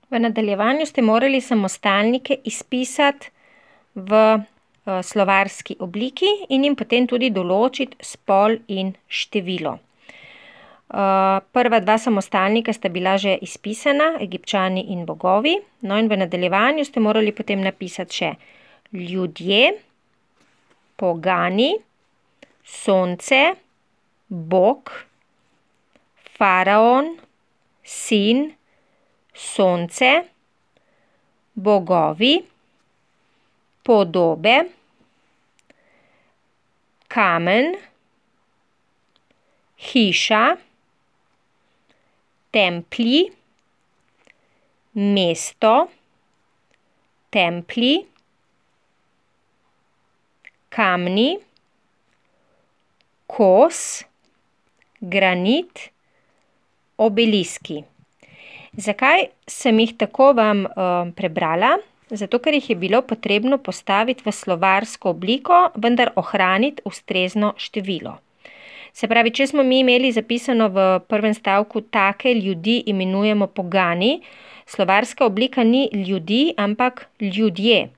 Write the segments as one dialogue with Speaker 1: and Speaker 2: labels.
Speaker 1: V nadaljevanju ste morali samostalnike izpisati v slovarski obliki in jim potem tudi določiti spol in število. Prva dva samostalnika sta bila že izpisana, Egipčani in bogovi. No, in v nadaljevanju ste morali potem napisati še ljudje, pogani, sonce, bog, faraon, sin, sonce, bogovi, podobe, kamen, hiša, templji, mesto, templji, kamni, kos, granit, obeliski. Zakaj sem jih tako vam prebrala? Zato, ker jih je bilo potrebno postaviti v slovarsko obliko, vendar ohraniti ustrezno število. Se pravi, če smo mi imeli zapisano v prvem stavku take ljudi imenujemo pogani, slovarska oblika ni ljudi, ampak ljudje.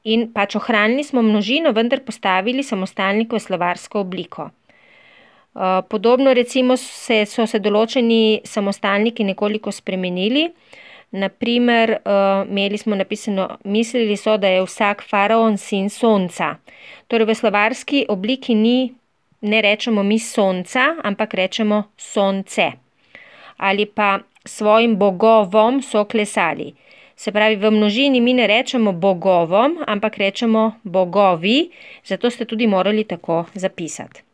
Speaker 1: In pač ohranili smo množino, vendar postavili samostalnik v slovarsko obliko. Podobno recimo so se določeni samostalniki nekoliko spremenili. Naprimer, imeli smo napisano, mislili so, da je vsak faraon sin sonca. Torej v slovarski obliki ne rečemo mi sonca, ampak rečemo sonce. Ali pa svojim bogovom so klesali. Se pravi, v množini mi ne rečemo bogovom, ampak rečemo bogovi, zato ste tudi morali tako zapisati.